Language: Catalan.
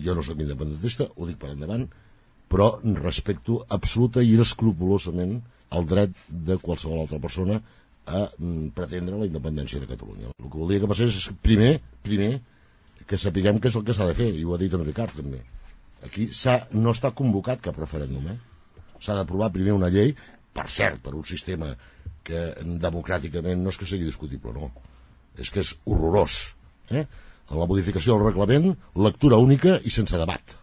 Jo no soc independentista, ho dic per endavant, però respecto absoluta i escrupolosament el dret de qualsevol altra persona a pretendre la independència de Catalunya. El que voldria que passés és primer que sapiguem què és el que s'ha de fer, i ho ha dit en Ricard també. Aquí no està convocat cap referèndum, s'ha d'aprovar primer una llei, per cert, per un sistema que democràticament no és que sigui discutible, no, és que és horrorós, en la modificació del reglament, lectura única i sense debat.